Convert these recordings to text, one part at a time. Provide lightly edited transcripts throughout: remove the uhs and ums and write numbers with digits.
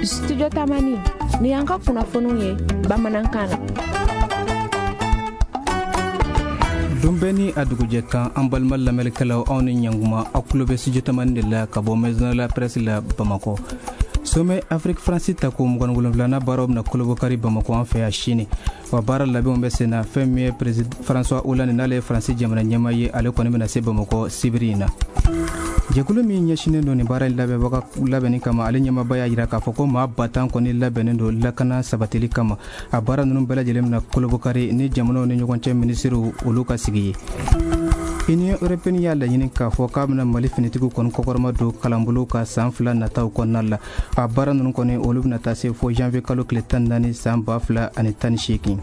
Studio Tamani, ni y'an ka kunnafoniw ye bamanankan na. Don bɛɛ ni a dugujɛ kan, an balima lamɛnnikɛlaw, aw ni ɲanguma. Aw tulo bɛ Studio Tamani de la ka bɔ Maison de la Presse la Bamakɔ. Sommet Afrique France tako 27nan baaraw bɛna kolobɔkari Bamakɔ an fɛ yan sini. Wa baara labɛnw bɛ sen na. Fɛn min ye président François Hollande, n'ale ye Faransi jamana ɲɛmaa ye, ale kɔni bɛna se Bamakɔ sibiri in na. Jɛkulu min ɲɛsinnen don nin baara in labɛnbaga labɛnni kama, ale ɲɛmaaba y'a jira k'a fɔ ko maa 10 000 kɔni labɛnnen don lakana sabatili kama. A baara ninnu bɛɛ lajɛlen bɛna kolobɔkari ni jamanaw ni ɲɔgɔn cɛ minisiriw olu ka sigi ye. Union européenne y'a laɲini k'a fɔ k'a bɛna Mali finitigiw kɔni kɔkɔrɔma don kalanbolo ka san 2 nataw kɔnɔna la. A baara ninnu kɔni, olu bɛna taa se fo janvier kalo tile 14 san 2018.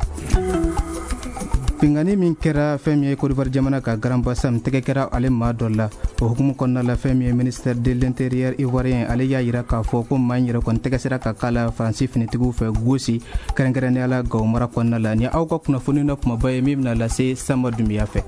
Binkanni min kɛra fɛn min ye Côte d'Ivoire jamana ka Grand Bassam, tɛgɛ kɛra ale maa dɔ la. O hukumu kɔnɔna la, fɛn min ye ministère de l'Intérieur ivoirien, ale y'a jira k'a fɔ ko maa in yɛrɛ kɔni tɛgɛ sera ka k'a la Faransi finitigiw fɛ Gosi, kɛrɛnkɛrɛnnenya la Gawo mara kɔnɔna la. Ni aw ka kunnafoni na kumaba ye min bɛna lase Sanba Dunbiya fɛ.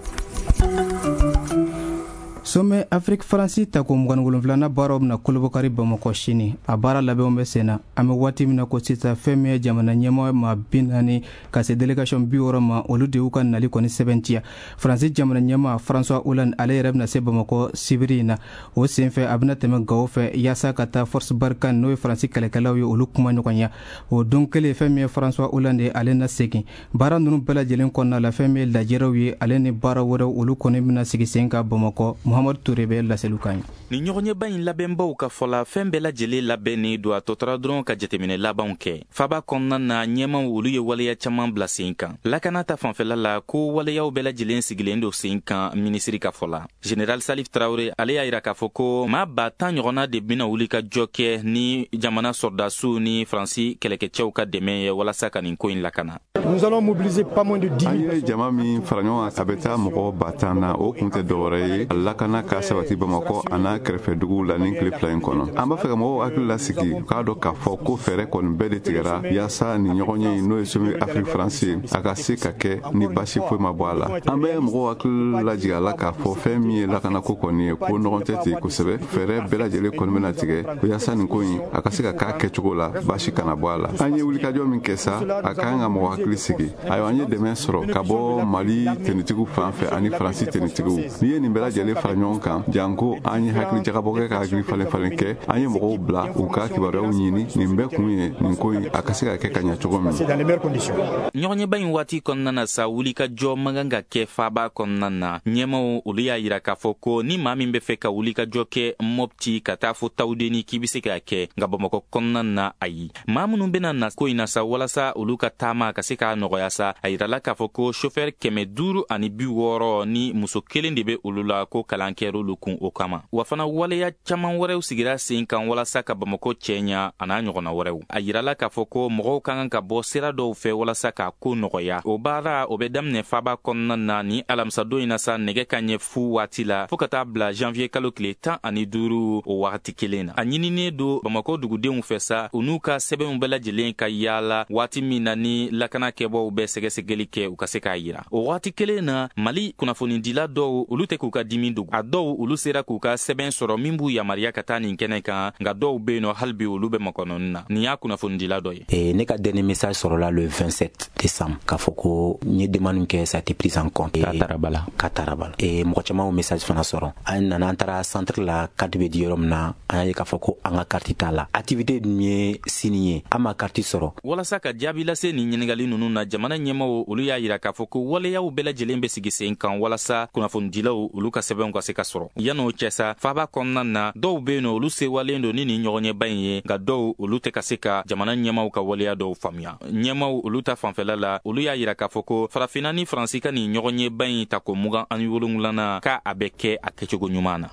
Sommet Afrique France tako 27nan baaraw bɛna kolobɔkari Bamakɔ sini. A baara labɛnw bɛ sen na. An bɛ waati min na ko sisan, fɛn min ye jamana ɲɛmaa maa 40 ka se délégation 60 ma, olu de y'u ka nali kɔni sɛbɛntiya. Faransi jamana ɲɛmaa François Hollande, ale yɛrɛ bɛna se Bamakɔ sibiri in na. O senfɛ, a bɛna tɛmɛ Gawo fɛ yaasa ka taa Force Barkhane, n'o ye Faransi kɛlɛkɛlaw ye, olu kuma ɲɔgɔnya. O don kelen, fɛn min ye François Hollande, ale na segin. Baara ninnu bɛɛ lajɛlen kɔnɔna la, fɛn min ye lajɛrɛw ye, ale ni baara wɛrɛw, olu kɔni bɛna sigi sen kan Bamakɔ. Muhamadu Ture bɛ laseliw kan ye. Nin ɲɔgɔnyeba in labɛnbaw ka fɔ la, fɛn bɛɛ lajɛlen labɛnnen don, a tɔ tora dɔrɔn ka jateminɛ labanw kɛ. Faba kɔnɔna na, ɲɛmaw olu ye waleya caman bila sen kan. Lakana ta fanfɛla la, ko waleyaw bɛɛ lajɛlen sigilen don sen kan. Minisiri ka fɔ la, général Salif Traoré, ale y'a yira k'a fɔ ko maa 10 000 ɲɔgɔnna de bɛna wuli ka jɔ kɛ ni jamana sɔrɔdasiw ni Faransi kɛlɛkɛcɛw ka dɛmɛ ye walasa ka nin ko in lakana. Nous allons mobiliser pas moins de 10 An ye jama min fara ɲɔgɔn kan, a bɛ taa mɔgɔ 10 000 na. O kun tɛ dɔwɛrɛ ye, lakana ka sabati Bamakɔ a n'a kɛrɛfɛ duguw la nin tile 2 in kɔnɔ. An b'a fɛ ka mɔgɔw hakili lasigi k'a dɔn k'a fɔ ko fɛɛrɛ kɔni bɛɛ de tigɛra yaasa nin ɲɔgɔn ye, n'o ye sommet Afrique France ye, a ka se ka kɛ ni basi foyi ma bɔ a la. An bɛ mɔgɔw hakili lajigin a la k'a fɔ fɛn min ye lakanako kɔni ye, ko ɲɔgɔn tɛ ten kosɛbɛ. Fɛɛrɛ bɛɛ lajɛlen kɔni bɛna tigɛ yaasa nin ko in a ka se ka k'a kɛcogo la, basi kana bɔ a la. An ye wulikajɔ min kɛ sa, a ka kan ka mɔgɔ hakili sigi. Ayiwa, an ye dɛmɛ sɔrɔ ka bɔ Mali tenitigiw fan fɛ ani Faransi tenitigiw. N'i ye nin bɛɛ lajɛlen fara ɲɔgɔn kan, janko an ye hakili jagabɔ kɛ ka hakili falen falen kɛ, an ye mɔgɔw bila u ka kibaruyaw ɲini, nin bɛɛ kun ye nin ko in a ka se ka kɛ ka ɲɛ cogo min. Ɲɔgɔnyeba in waati kɔnɔna na sa, wuli ka jɔ man kan ka kɛ faaba kɔnɔna na. Ɲɛmaw olu y'a yira k'a fɔ ko ni maa min bɛ fɛ ka wuli ka jɔ kɛ Mɔpti ka taa fo Tawudeni, k'i bɛ se k'a kɛ, nka Bamakɔ kɔnɔna na, ayi. Maa minnu bɛna na ko in na sa, walasa olu ka taama ka se k'a nɔgɔya sa, a yirala k'a fɔ ko chauffeur 560 ni muso kelen de bɛ olu la, ko kalan kɛr'olu kun o kama. Wa fana, waleya caman wɛrɛw sigira sen kan walasa ka Bamakɔ cɛɲa a n'a ɲɔgɔnna wɛrɛw. A yirala k'a fɔ ko mɔgɔw ka kan ka bɔ sira dɔw fɛ walasa k'a ko nɔgɔya. O baara o bɛ daminɛ faba kɔnɔna na ni alamisadon in na sa, nɛgɛ ka ɲɛ fu waati la, fɔɔ ka taa bila janvier kalo tile 15 o wagati kelen na. A ɲininen don Bamakɔ dugudenw fɛ sa, u n'u ka sɛbɛnw bɛɛ lajɛlen ka yaala waati min na ni lakana kɛbaw bɛ sɛgɛsɛgɛli kɛ, u ka se k'a yira. O waati kelen na, Mali kunnafonidila dɔw olu tɛ k'u ka dimi dogo. A dɔw olu sera k'u ka sɛbɛn sɔrɔ min b'u yamaruya ka taa nin kɛnɛ kan, nka dɔw be yen nɔ, hali bi olu bɛ makɔnɔni na. Nin y'a kunnafonidila dɔ ye. Et ne ka dernier message sɔrɔla le 27 décembre k'a fɔ ko n ye demande kɛ, ça a été pris en compte. K'a taara ba la. K'a taara ba la. Et mɔgɔ caman y'o message fana sɔrɔ. An nana, an taara centre la, carte bɛ di yɔrɔ min na, an y'a ye k'a fɔ ko an ka carte t'a la. Activité dun ye sini ye, an ma carte sɔrɔ. Walasa ka jaabi lase nin ɲininkali ninnu na, jamana ɲɛmaw olu y'a yira k'a fɔ ko waleyaw bɛɛ lajɛlen bɛ sigi sen kan walasa kunnafonidilaw olu ka sɛbɛnw ka se ka sɔrɔ. Yan'o cɛ sa, faba kɔnɔna na, dɔw be yen nɔ, olu sewalen don ni nin ɲɔgɔnyeba in ye, nka dɔw olu tɛ ka se ka jamana ɲɛmaw ka waleya dɔw faamuya. Ɲɛmaw olu ta fanfɛla la, olu y'a yira k'a fɔ ko Farafinna ni Faransi ka nin ɲɔgɔnyeba in tako 27nan, k'a a bɛ kɛ a kɛcogo ɲuman na.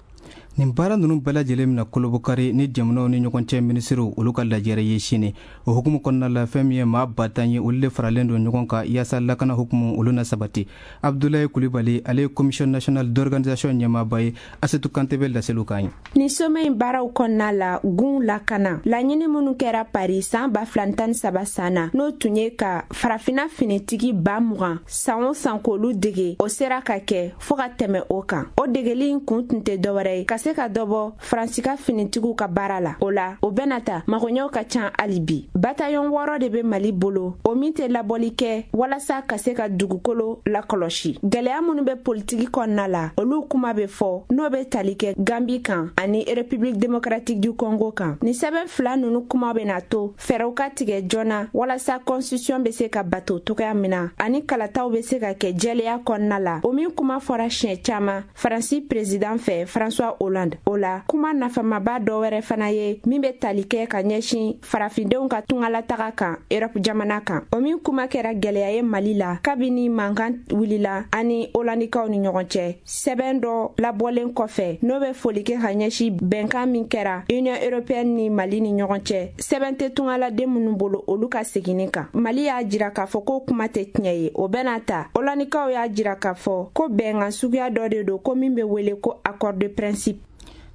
Nin baara ninnu bɛɛ lajɛlen bɛna kolobɔkari ni jamanaw ni ɲɔgɔn cɛ minisiriw olu ka lajɛrɛ ye sini. O hukumu kɔnɔna la, fɛn min ye maa 10 000 ye, olu de faralen don ɲɔgɔn kan yaasa lakana hukumu olu na sabati. Abdulayi Kulibali, ale ye Commission nationale d'organisation ɲɛmaaba ye. Asetu Kante bɛ laseliw kan ye. Nin sommet in baaraw kɔnɔna la, gun lakana laɲini minnu kɛra Paris san 2013 san na, n'o tun ye ka Farafina finitigi 20 000 san o san k'olu dege, o sera ka kɛ fɔɔ ka tɛmɛ o kan. O degeli in kun tun tɛ dɔwɛrɛ ye ka se se ka dɔ bɔ Faransi ka finitigiw ka baara la. O la, o bɛna ta, magoɲɛw ka ca hali bi. Bataillon 6 de bɛ Mali bolo, o min tɛ labɔli kɛ walasa ka se ka dugukolo lakɔlɔsi. Gɛlɛya minnu bɛ politiki kɔnɔna la, olu kuma bɛ fɔ, n'o bɛ tali kɛ Gambi kan ani République démocratique du Congo kan. Nin sɛbɛn fila ninnu kuma bɛna to fɛɛrɛw ka tigɛ joona walasa constitution bɛ se ka bato cogoya min na, ani kalataw bɛ se ka kɛ jɛlenya kɔnɔna la, o min kuma fɔra siɲɛ caman Faransi président fɛ François Hollande. O la, kuma nafamaba dɔ wɛrɛ fana ye min bɛ tali kɛ ka ɲɛsin farafindenw ka tungalataga kan Europe jamana kan, o min kuma kɛra gɛlɛya ye Mali la kabini mankan wulila ani Hollandikaw ni ɲɔgɔn cɛ. Sɛbɛn dɔ labɔlen kɔfɛ, n'o bɛ foli kɛ ka ɲɛsin bɛnkan min kɛra Union européenne ni Mali ni ɲɔgɔn cɛ, sɛbɛn tɛ tungaladen minnu bolo, olu ka seginni kan. Mali y'a jira k'a fɔ ko kuma tɛ tiɲɛ ye. O bɛna ta, Hollandikaw y'a jira k'a fɔ ko bɛnkan suguya dɔ de don, ko min bɛ wele ko accord de principe.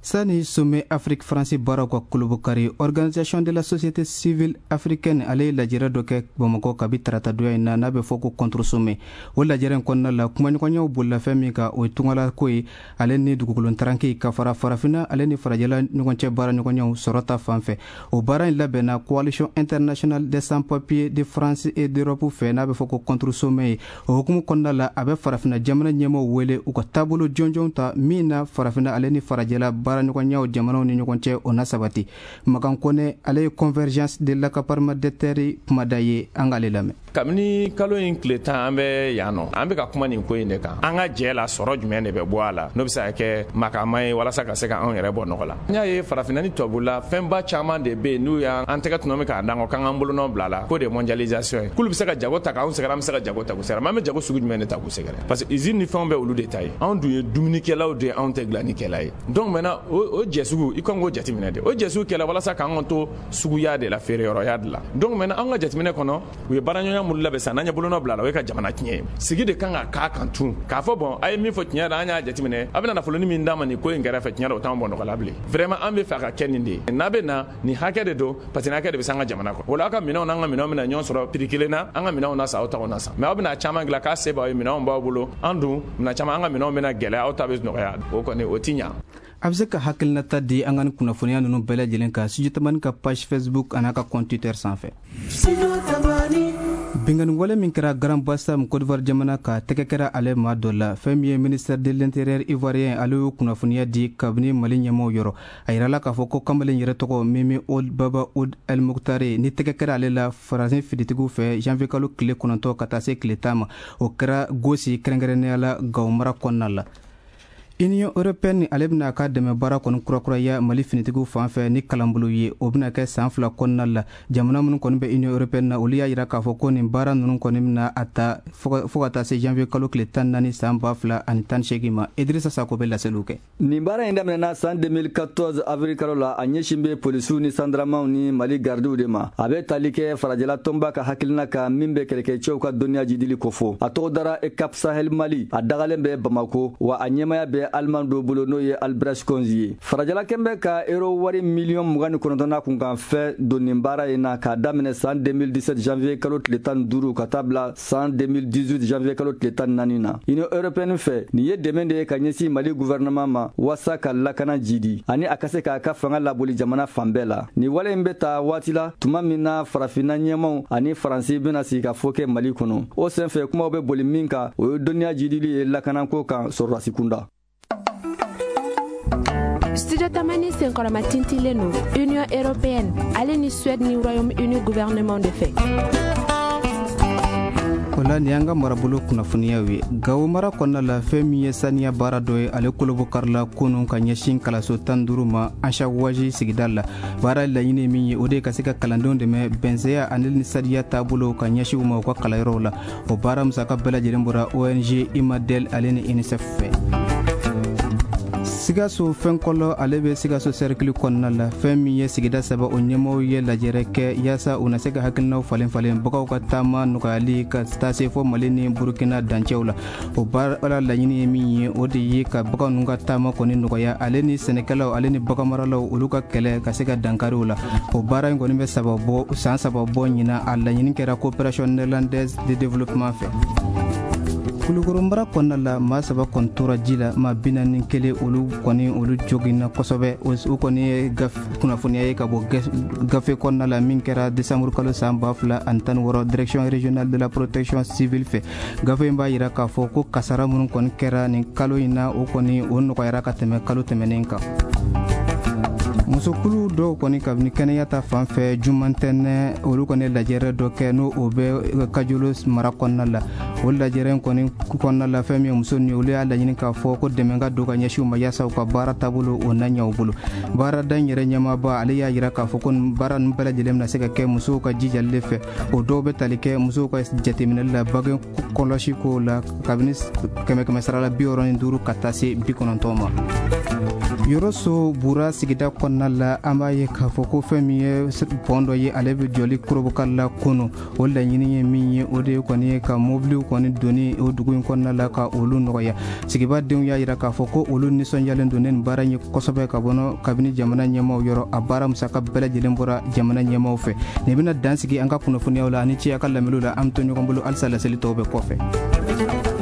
Sani sommet Afrique France baaraw ka kolobokari, Organisation de la société civile africaine ale ye lajɛrɛ dɔ kɛ Bamakɔ kabi taratadonya in na, n'a bɛ fɔ ko contre sommet. O lajɛrɛ in kɔnɔna la, kumaɲɔgɔnyaw bolila fɛn min kan, o ye tungalako ye ale ni dugukolo taranke, ka fara farafinna ale ni farajɛla ɲɔgɔn cɛ baara ɲɔgɔnyaw sɔrɔ ta fan fɛ. O baara in labɛnna Coalition internationale des sans papiers de France et d'Europe fɛ, n'a bɛ fɔ ko contre sommet ye. O hukumu kɔnɔna la, a bɛ farafinna jamana ɲɛmaaw wele u ka taabolo jɔnjɔn ta min na farafinna ale ni farajɛla baara ɲɔgɔnyaw jamanaw ni ɲɔgɔn cɛ, o na sabati. Makan Kɔnɛ, ale ye Convergence de l'accaparement des terres kumada ye, an k'ale lamɛn. Kabini kalo in tile 10, an bɛ yan nɔ, an bɛ ka kuma nin ko in de kan. An ka jɛ la, sɔrɔ jumɛn de bɛ bɔ a la n'o bɛ se ka kɛ makama ye walasa ka se ka anw yɛrɛ bɔ nɔgɔ la? N y'a ye farafinna ni tubabula, fɛnba caman de bɛ yen n'u y'an tɛgɛ tɔnɔ min k'a d'an kɔ k'an k'an bolonɔ bila la, k'o de ye mondialisation ye, k'olu bɛ se ka jago ta k'anw sɛgɛrɛ, an bɛ se ka jago ta k'u sɛgɛrɛ. An bɛ jago sugu jumɛn de ta k'u sɛgɛrɛ? Parce que usine ni fɛnw bɛ olu de ta ye, anw dun ye dumunikɛlaw de ye, anw tɛ dilannikɛla ye. Donc maintenant, o jɛ sugu, i kan k'o jateminɛ de. O jɛ sugu kɛla walasa k'an to suguya de la, feereyɔrɔya de la. Donc maintenant, an ka jateminɛ kɔnɔ, u ye baaraɲɔgɔnya minnu labɛn sisan, n'an ye bolonɔ bila la, o ye ka jamana tiɲɛ ye. Sigi de kan ka k'a kan tun k'a fɔ: bon, a ye min fɔ tiɲɛ la, an y'a jateminɛ, a bɛna nafoloni min d'a ma nin ko in kɛrɛfɛ, tiɲɛ la, o t'an bɔ nɔgɔ la bilen. Vraiment, an bɛ fɛ a ka kɛ nin de ye, n'a bɛ na nin hakɛ de don, parce que nin hakɛ de bɛ se an ka jamana kɔnɔ. O la, aw ka minɛnw n'an ka minɛnw bɛna ɲɔgɔn sɔrɔ prix kelen na, an ka minɛnw na san, aw taw na san. Mais aw bɛna caman dilan k'a se b'aw ye, minɛnw b'aw bolo, an dun minɛn caman, an ka minɛnw bɛna gɛlɛya, aw ta bɛ nɔgɔya, o kɔni o ti ɲa. A bɛ se ka hakilinata di an ka ni kunnafoniya ninnu bɛɛ lajɛlen kan Studio Tamani ka page Facebook an'a ka compte Twitter sanfɛ. Binkanni wale min kɛra Grand Bassam, Côte d'Ivoire jamana ka, tɛgɛ kɛra ale maa dɔ la. Fɛn min ye ministère de l'Intérieur ivoirien, ale y'o kunnafoniya di kabini Mali ɲɛmaaw yɔrɔ. A yirala k'a fɔ ko kamalen yɛrɛ tɔgɔ Mimi Ould Baba Ould El Moctare, ni tɛgɛ kɛra ale la Faransi finitigiw fɛ janvier kalo tile 9 ka taa se tile 10 ma. O kɛra Gosi, kɛrɛnkɛrɛnnenya la Gawo mara kɔnɔna la. Union européenne ale bɛna a ka dɛmɛ baara kɔni kurakuraya Mali finitigiw fan fɛ ni kalanbolo ye. O bɛna kɛ san 2 kɔnɔna la. Jamana minnu kɔni bɛ Union européenne na, olu y'a jira k'a fɔ ko nin baara ninnu kɔni bɛna a ta fo ka taa se janvier kalo tile 14 san 2018 ma. Idrissa Sako bɛ laseliw kɛ. Nin baara in daminɛna san 2014 avril kalo la. A ɲɛsin bɛ polisiw ni sandaramaw ni Mali gardiw de ma. A bɛ tali kɛ farajɛla tɔnba ka hakilina kan min bɛ kɛlɛkɛcɛw ka dɔnniya jidili kofɔ. A tɔgɔ dara EUCAP Sahel Mali. A dagalen bɛ Bamako wa, a ɲɛmaya bɛ Aliman dɔ bolo, n'o ye Albrecht Konzi ye. Farajɛla kɛn bɛ ka euro wari miliyɔn 29 n'a kunkan fɛn don nin baara in na, k'a daminɛ san 2017 janvier kalo tile 15 ka taa bila san 2018 janvier kalo tile 14 na. Union européenne fɛ, nin ye dɛmɛ de ye ka ɲɛsin Mali gouvernement ma waasa ka lakana jidi ani a ka se k'a ka fanga laboli jamana fan bɛɛ la. Nin wale in bɛ ta waati la tuma min na farafinna ɲɛmaw ani Faransi bɛna sigi ka fɔ kɛ Mali kɔnɔ. O senfɛ, kumaw bɛ boli min kan, o ye dɔnniya jidili ye lakanako kan sɔrɔdasi kunda. Studio Tamani senkɔrɔma tintilen don Union européenne ale ni Suède ni Royaume-Uni gouvernement de fɛ. O la, nin y'an ka marabolo kunnafoniyaw ye. Gawo mara kɔnɔna la, fɛn min ye saniya baara dɔ ye, ale kolobokarila kunun ka ɲɛsin kalanso 15 ma Ansawaji sigida la. Baara laɲini min ye, o de ye ka se ka kalandenw dɛmɛ bɛnsɛya ani ni sadiya taabolo ka ɲɛsin u ma u ka kalanyɔrɔw la. O baara musaka bɛɛ lajɛlen bɔra ONG Imadel ale ni UNICEF fɛ. Sikaso fɛnkɔlɔ, ale bɛ Sikaso cercle kɔnɔna la, fɛn min ye sigida saba, o ɲɛmɔgɔw ye lajɛrɛ kɛ yaasa u na se ka hakilinaw falen falen bagaw ka taama nɔgɔyali ka taa se fɔ Mali ni Burukina dancɛw la. O baara laɲini ye min ye, o de ye ka bagan ninnu ka taama kɔni nɔgɔya, ale ni sɛnɛkɛlaw ale ni baganmaralaw, olu ka kɛlɛ ka se ka dankariw la. O baara in kɔni bɛ saba bɔ san 3 bɔ ɲina. A laɲini kɛra Coopération néerlandaise de développement fɛ. Kulukoro mara kɔnɔna la, maa saba kɔni tora ji la, maa 41, olu kɔni, olu joginna kosɛbɛ. O kɔni ye kunnafoniya ye ka bɔ gafe kɔnɔna la min kɛra desanburu kalo san 2016, Direction régionale de la protection civile fɛ. Gafe in b'a yira k'a fɔ ko kasara minnu kɔni kɛra nin kalo in na, o kɔni, o nɔgɔyara ka tɛmɛ kalo tɛmɛnen kan. Musokulu dɔw kɔni, kabini kɛnɛya ta fan fɛ, jumantɛnɛ, olu kɔni lajɛrɛ dɔ kɛ, n'o o bɛ Kajolo mara kɔnɔna la. O lajɛrɛ kɔni kɔnɔna la, fɛn min ye muso ni, olu y'a laɲini k'a fɔ ko dɛmɛ ka don ka ɲɛsin u ma, yaasa u ka baara taabolo o na ɲɛ u bolo. Baarada in yɛrɛ ɲɛmaaba, ale y'a yira k'a fɔ ko baara ninnu bɛɛ lajɛlen bɛna se ka kɛ musow ka jijali de fɛ. O dɔw bɛ tali kɛ musow ka jateminɛli la, bange kɔlɔsi kow la, kabini 100 sara la 65 ka taa se 90 ma. Yɔrɔso Bura sigida kɔnɔna la, an b'a ye k'a fɔ ko fɛn min ye pont dɔ ye, ale bɛ jɔli Korobokari la kunu. O laɲini ye min ye, o de ye kɔni ye ka mobiliw kɔni donni o dugu in kɔnɔna la, ka olu nɔgɔya. Sigibadenw y'a yira k'a fɔ ko olu nisɔndiyalen don ne nin baara in ye kosɛbɛ, ka bɔ kabini jamana ɲɛmaaw yɔrɔ. A baara musaka bɛɛ lajɛlen bɔra jamana ɲɛmaaw fɛ. Nin bɛna dan sigi an ka kunnafoniyaw la. Ani ci a ka lamɛnniw la. An bɛ to ɲɔgɔn bolo halisa, laseli tɔw bɛ kɔfɛ.